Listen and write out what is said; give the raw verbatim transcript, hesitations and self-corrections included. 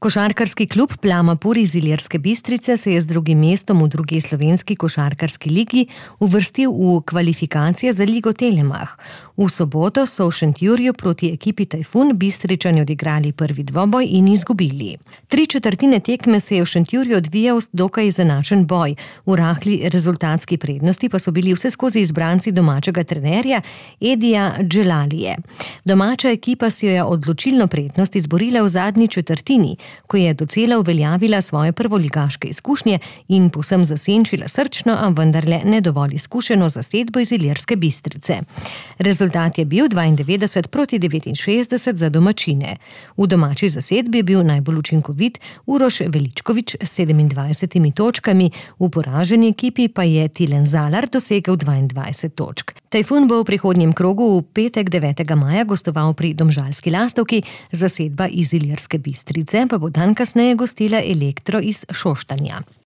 Košarkarski klub Plamapur iz Ilirske Bistrice se je z drugim mestom v drugi slovenski košarkarski ligi uvrstil v kvalifikacije za Ligo Telemach. V soboto so v Šentjurju proti ekipi Tajfun Bistričani odigrali prvi dvoboj in izgubili. Tri četrtine tekme se je v Šentjurju odvijal dokaj izenačen boj. V rahli rezultatski prednosti pa so bili vseskozi izbranci domačega trenerja Edija Dželalije. Domača ekipa si jo je odločilno prednost izborila v zadnji četrtini, ko je docela uveljavila svoje prvoligaške izkušnje in povsem zasenčila srčno, a vendarle ne dovolj izkušeno zasedbo iz Ilirske Bistrice. Rezultat je bil dvaindevetdeset proti devetinšestdeset za domačine. V domači zasedbi je bil najbolj učinkovit Uroš Veličkovič s sedemindvajsetimi točkami, v poraženi ekipi pa je Tilen Zalar dosegel dvaindvajset točk. Tajfun bo v prihodnjem krogu v petek devetega maja gostoval pri Domžalski Lastovki, zasedba iz Ilirske Bistrice pa bo dan kasneje gostila Elektro iz Šoštanja.